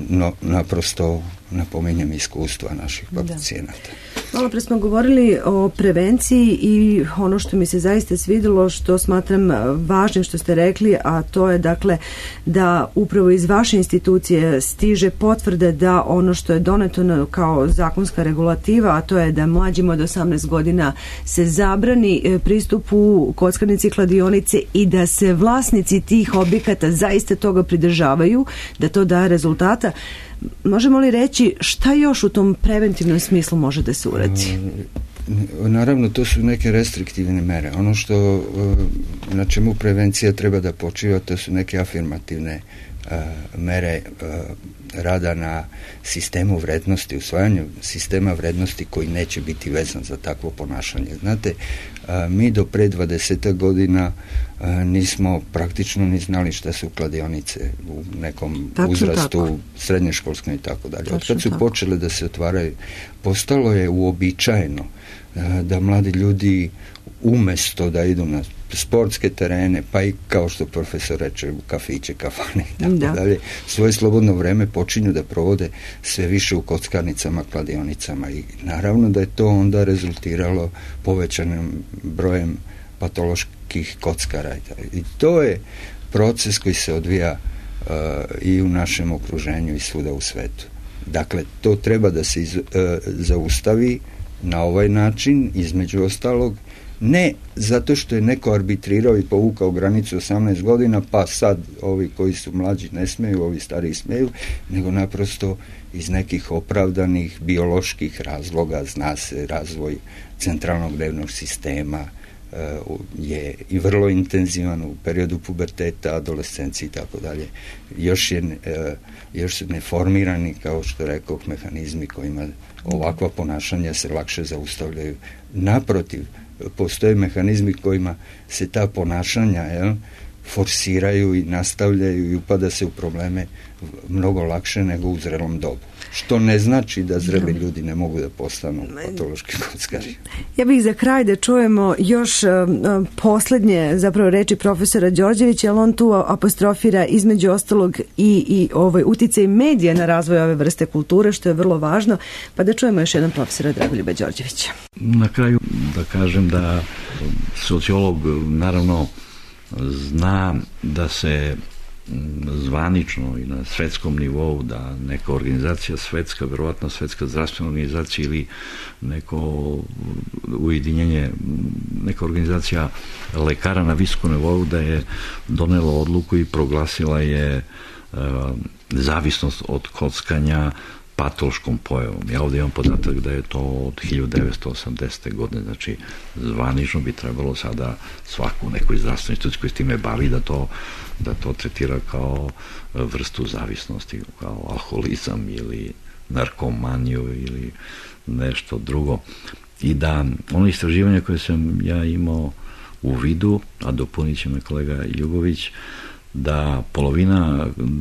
No naprosto napominjem iskustva naših pacijenata. Malo pre smo govorili o prevenciji i ono što mi se zaista svidjelo, što smatram važnim što ste rekli, a to je dakle da upravo iz vaše institucije stiže potvrde da ono što je doneto kao zakonska regulativa, a to je da mlađima od 18 godina se zabrani pristup u kockarnice i kladionice i da se vlasnici tih objekata zaista toga pridržavaju, da to daje rezultata. Možemo li reći šta još u tom preventivnom smislu može da se uradi? Naravno, to su neke restriktivne mere. Ono što na čemu prevencija treba da počiva, to su neke afirmativne mere rada na sistemu vrednosti, usvajanju sistema vrednosti koji neće biti vezan za takvo ponašanje. Znate, mi do pre 20 godina nismo praktično ni znali šta su kladionice u nekom uzrastu, srednješkolskom i tako dalje. Od kad su počele da se otvaraju, postalo je uobičajeno da mladi ljudi umesto da idu na sportske terene, pa i kao što profesor reče, u kafiće, kafane i tako dalje, svoje slobodno vreme počinju da provode sve više u kockarnicama, kladionicama i naravno da je to onda rezultiralo povećanim brojem patoloških kockara i to je proces koji se odvija i u našem okruženju i svuda u svetu. Dakle, to treba da se zaustavi na ovaj način, između ostalog, ne zato što je neko arbitrirao i povukao granicu 18 godina, pa sad ovi koji su mlađi ne smeju, ovi stariji smeju, nego naprosto iz nekih opravdanih bioloških razloga. Zna se, razvoj centralnog nervnog sistema je i vrlo intenzivan u periodu puberteta, adolescencije i tako dalje. Još su neformirani, kao što rekoh, mehanizmi kojima ovakva ponašanja se lakše zaustavljaju. Naprotiv, postoje mehanizmi kojima se ta ponašanja forsiraju i nastavljaju i upada se u probleme mnogo lakše nego u zrelom dobu. Što ne znači da zreli ljudi ne mogu da postanu patološki kockari. Ja bih za kraj da čujemo još posljednje zapravo reči profesora Đorđevića, jer on tu apostrofira između ostalog i uticaj medija na razvoj ove vrste kulture, što je vrlo važno, pa da čujemo još jedan profesora Dragoljuba Đorđevića. Na kraju da kažem da sociolog naravno zna da se zvanično i na svetskom nivou da neka organizacija svetska, verovatno Svetska zdravstvena organizacija ili neko ujedinjenje, neka organizacija lekara na visokom nivou da je donela odluku i proglasila je zavisnost od kockanja patološkom pojavom. Ja ovdje imam podatak da je to od 1980. godine, znači zvanično bi trebalo sada svaku nekoj zdravstvenoj instituciji koji s time bavi da to tretira kao vrstu zavisnosti, kao alkoholizam ili narkomaniju ili nešto drugo. I da ono istraživanje koje sam ja imao u vidu, a dopunit će me kolega Jugović, da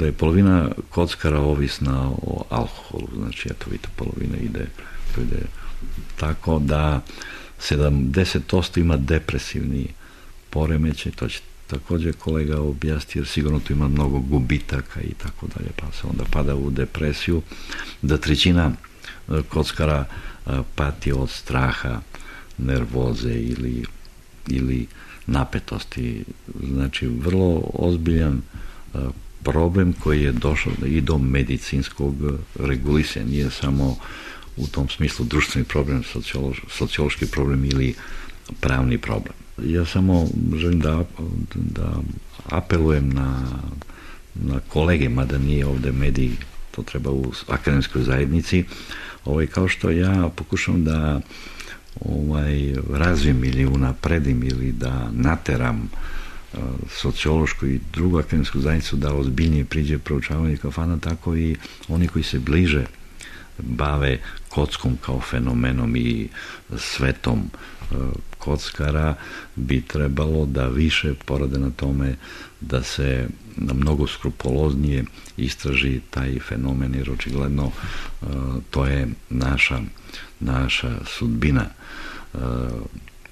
je polovina kockara ovisna o alkoholu, znači eto vidite, polovina ide tako da 70% ima depresivni poremećaj, to će također kolega objasniti, jer sigurno tu ima mnogo gubitaka i tako dalje, pa se onda pada u depresiju, da 1/3 kockara pati od straha, nervoze ili napetosti. Znači vrlo ozbiljan problem koji je došao i do medicinskog regulisanja, nije samo u tom smislu društveni problem, sociološki problem ili pravni problem. Ja samo želim da apelujem na kolege, mada nije ovdje medij, to treba u akademskoj zajednici, kao što ja pokušam da razvijem ili unapredim ili da nateram sociološku i drugu akademsku zajednicu da ozbiljnije priđe proučavanje kafana, tako i oni koji se bliže bave kockom kao fenomenom i svetom kockara bi trebalo da više porade na tome da se mnogo skrupuloznije istraži taj fenomen, jer očigledno to je naša sudbina.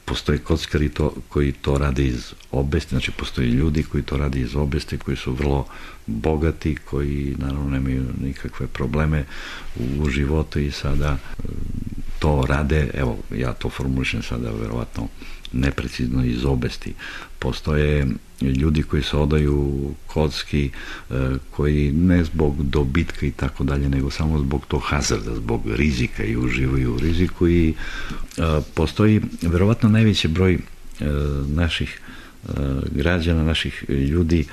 Postoje kockari koji to rade iz obesti, znači postoje ljudi koji to rade iz obesti, koji su vrlo bogati, koji naravno nemaju nikakve probleme u životu i sada to to rade, evo, ja to formulišem sada verovatno neprecizno iz obesti. Postoje ljudi koji se odaju kocki, koji ne zbog dobitka i tako dalje, nego samo zbog tog hazarda, zbog rizika i uživaju u riziku i postoji verovatno najveći broj naših građana, naših ljudi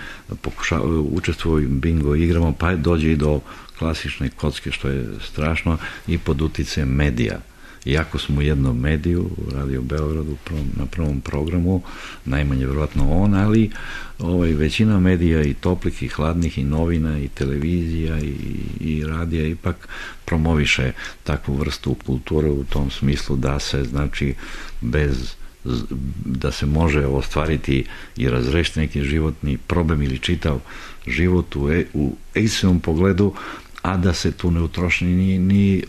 učestvuju u bingo igrama, pa dođe i do klasične kocke, što je strašno, i pod uticajem medija. Iako smo u jednom mediju, Radio Beogradu, na prvom programu, najmanje vjerojatno on, ali većina medija i toplih i hladnih i novina i televizija i radija ipak promoviše takvu vrstu kulture u tom smislu da se, znači, da se može ostvariti i razrešiti neki životni problem ili čitav život u egzistencijalnom pogledu, a da se tu ne utroši ni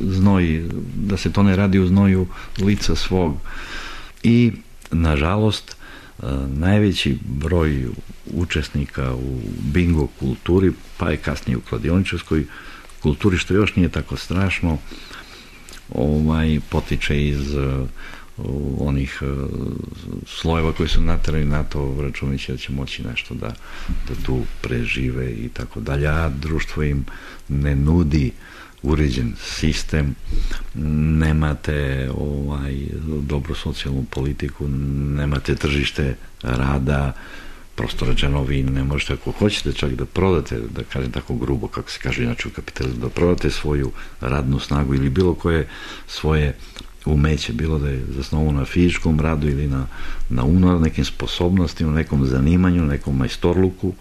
znoj, da se to ne radi u znoju lica svog. I, nažalost, najveći broj učesnika u bingo kulturi, pa i kasnije u kladioničarskoj kulturi, što još nije tako strašno, potiče iz onih slojeva koji su naterali na to, računajući da će moći nešto da tu prežive i tako dalje, a društvo im ne nudi uređen sistem, nemate dobru socijalnu politiku, nemate tržište rada, prosto rečeno, vi ne možete, ako hoćete čak da prodate, da kažem tako grubo, kako se kaže inače u kapitalizmu, da prodate svoju radnu snagu ili bilo koje svoje umeće, bilo da je zasnovano na fizičkom radu ili na nekim sposobnostima, nekom zanimanju, nekom majstorluku,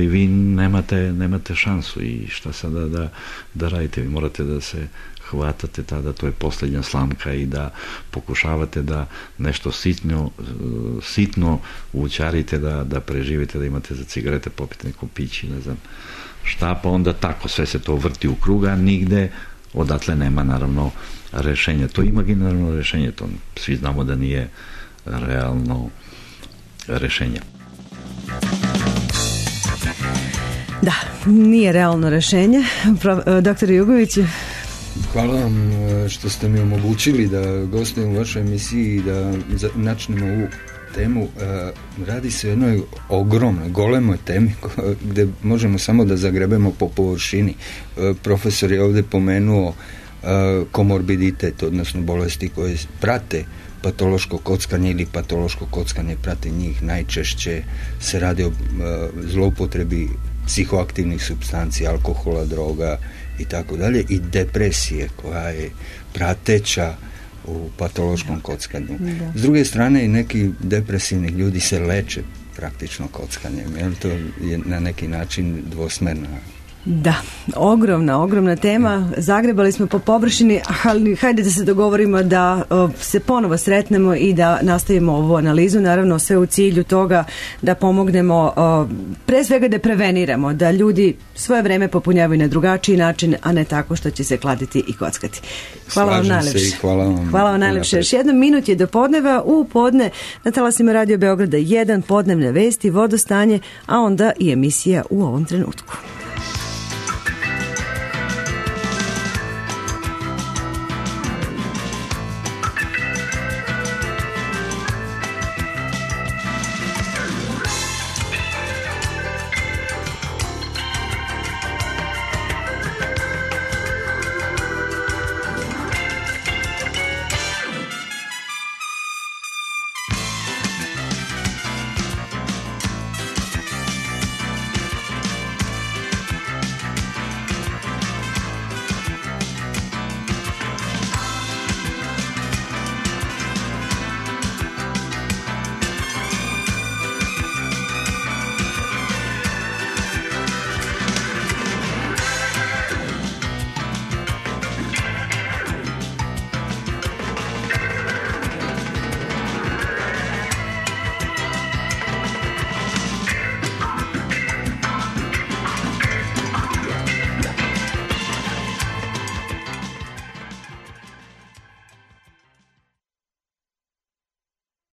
vi nemate šansu i šta sada da radite? Vi morate da se hvatate tada, to je posljednja slamka, i da pokušavate da nešto sitno učarite, da preživite, da imate za cigarete, popite neko pići, ne znam šta, pa onda tako sve se to vrti u kruga, nigde odatle nema naravno rešenja. To je imaginarno rešenje, to svi znamo da nije realno rešenje. Da, nije realno rešenje. Doktor Jugović. Hvala vam što ste mi omogućili da gostujem u vašoj emisiji i da načnemo ovu temu. Radi se o jednoj ogromnoj, golemoj temi gde možemo samo da zagrebemo po površini. Profesor je ovdje pomenuo komorbiditet, odnosno bolesti koje prate patološko kockanje ili patološko kockanje prate njih. Najčešće se radi o zloupotrebi psihoaktivnih supstanci, alkohola, droga i tako dalje, i depresije koja je prateća u patološkom kockanju. Da. S druge strane, i neki depresivni ljudi se leče praktično kockanjem, jer to je na neki način dvosmerna. Da, ogromna tema. Zagrebali smo po površini, ali hajde da se dogovorimo da se ponovo sretnemo i da nastavimo ovu analizu, naravno sve u cilju toga da pomognemo, pre svega da preveniramo, da ljudi svoje vreme popunjavaju na drugačiji način, a ne tako što će se kladiti i kockati. Hvala vam najlepše. Hvala vam najlepše. Još 1 minut je do podneva. U podne na talasima Radio Beograda 1, podnevne vesti, vodostanje, a onda i emisija U ovom trenutku.